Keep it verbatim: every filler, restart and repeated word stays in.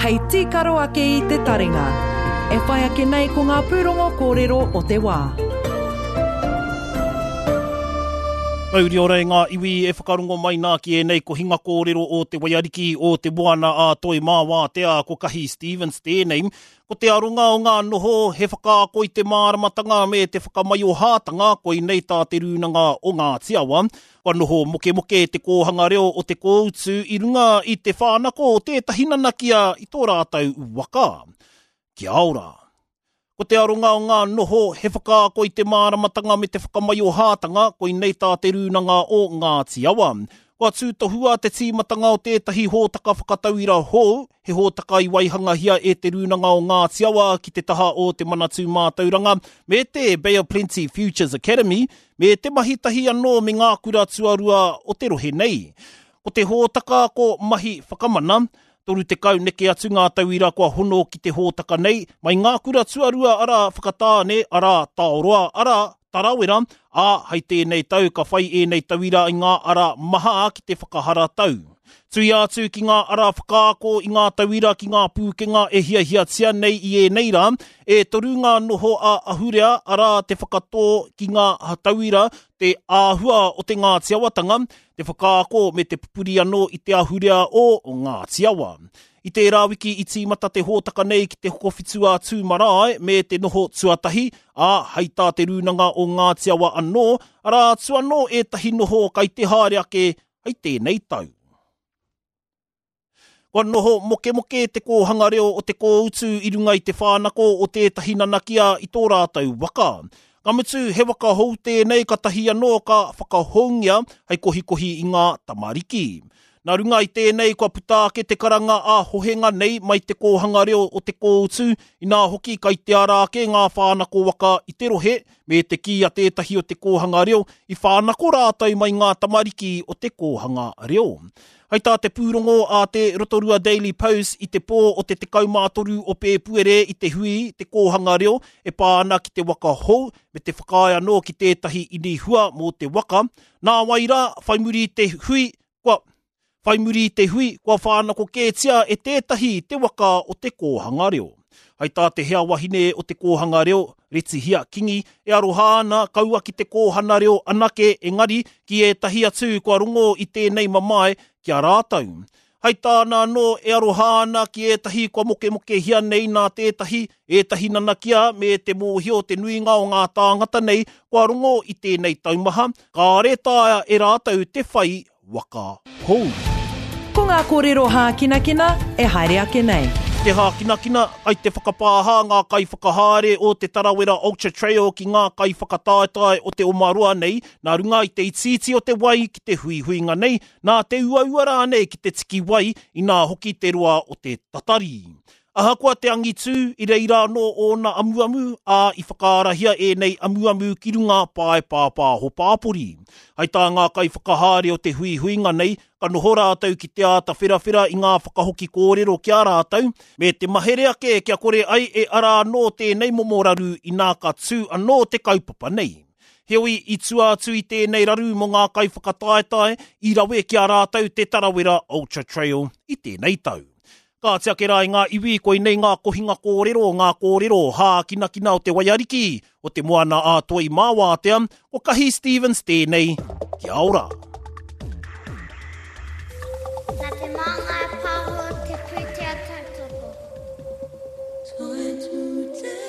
hei tīkaro ake i te taringa. E whai ake nei ko ngā pūrongo kōrero o te wā. Mauri ora e ngā iwi e whakarongo mai nā ki ēnei kohinga kōrero o te Waiariki o te Moana a Toi Māwātea ko Kahi Stevens tēnei. Ko te aronga o ngā noho he whakaako i te māramatanga me te whakamaiohātanga koinei tā te rūnanga o Ngāti Awa. Kua noho mokemoke te kōhanga reo o te kōutu i runga i te whānako o tētahi nanakia i tō rātou waka. Kia ora! Ko te aronga o ngā noho he whakaako i te māramatanga me te whakamaiohātanga koinei tā te rūnanga o Ngāti Awa. Kua tūtohua te tīmatanga o tētahi hōtaka whakatauira hou, he hōtaka i waihangahia e te rūnanga o Ngāti Awa ki te taha o te Manatū Mātauranga me te Bay of Plenty Futures Academy, me te mahi tahi anō me ngā kura tuarua o te rohe nei. Ko te hōtaka ko Mahi Whakamana, toru tekau neke atu ngā tauira kua hono ki te hōtaka nei, mai ngā kura tuarua arā Whakatāne, arā Taoroa, arā Tarawera, ā, hai tēnei tau ka whai ēnei tauira i ngā ara maha ki te whakaharatau. Tuia atu ki ngā ara whakaako i ngā tauira ki ngā pūkenga e hiahiatia nei i ēnei rā, e toru ngā noho a ahurea arā te whakatō ki ngā tauira te āhua o te Ngāti Awatanga, te whakaako me te pupuri anō i te ahurea o Ngāti Awa. I tērā wiki i tīmata te hōtaka nei ki te Hokowhitu a Tū Marae me te noho tuatahi, ā, hai tā te rūnanga o Ngāti Awa anō, arā atu anō ētahi noho kai te haere ake hai tēnei tau. Kua noho mokemoke te kōhanga reo o te kōutu i runga i te whānako o tētahi nanakia i tō rātou waka. Ka mutu, he waka hou tēnei ka tahi anō ka whakahoungia hei kohikohi i ngā tamariki. Nā runga i tēnei kua puta ake te karanga a hohenga nei mai te kōhanga reo o te kōutu, inā hoki kai te ara ake ngā whānako waka i te rohe, me te kī a tētahi o te kōhanga reo i whānako rātou mai ngā tamariki o te kōhanga reo. Hai tā te pūrongo a te Rotorua Daily Post i te pō o te tekau mā toru o Pēpuere i te hui te kōhanga reo e pā ana ki te waka hou me te whakaae anō ki tētahi inihua mō te waka. Nā wai rā, whai muri i te hui, kua, whai muri i te hui, kua whānako kētia e tētahi te waka o te kōhanga reo. Hai tā te hea wahine o te kōhanga reo, Retihia Kingi, e aroha ana kaua ki te kōhana reo anake engari ki ētahi atu kua rongo i tēnei mamae ki a rātou. Hai tāna anō e aroha ana ki ētahi kua mokemokehia nei nā tētahi, ētahi nanakia me te mōhio te nuinga o ngā tāngata nei kua rongo i tēnei taumaha, kāre taea e rātou te whai waka hou. Ko ngā kōrero hākinakina e haere ake nei. Te hākinakina, kai te whakapāha ngā kaiwhakahaere o te Tarawera Ultra Trail ki ngā kaiwhakataetae o te Omaroa nei, nā runga i te itiiti o te wai ki te huihuinga nei, nā te uaua rānei ki te tiki wai, inā hoki te roa o te tatari. Ahakoa te angitū, i reira anō ōna amuamu, ā, i whakaarahia ēnei amuamu ki runga pae pāpāho pāpori. Hai tā ngā kaiwhakahaere o te huihuinga nei, ka noho rātou ki te āta wherawhera i ngā whakahoki kōrero ki a rātou, me te mahere ake kia kore ai e ara anō tēnei momo raru inā ka tū anō te kaupapa nei. Heoi, i tua atu i tēnei raru mō ngā kaiwhakataetae, i rawe ki a rātou te Tarawera Ultra Trail i tēnei tau. Ka oti ake rā i ngā iwi, koinei ngā kohinga kōrero, ngā kōrero hākinakina o te Waiariki, o te Moana a Toi Māwātea, ko Kahi Stevens tēnei, kia ora. Nā te Māngai Pāho te pūtea tautoko. Toi tū te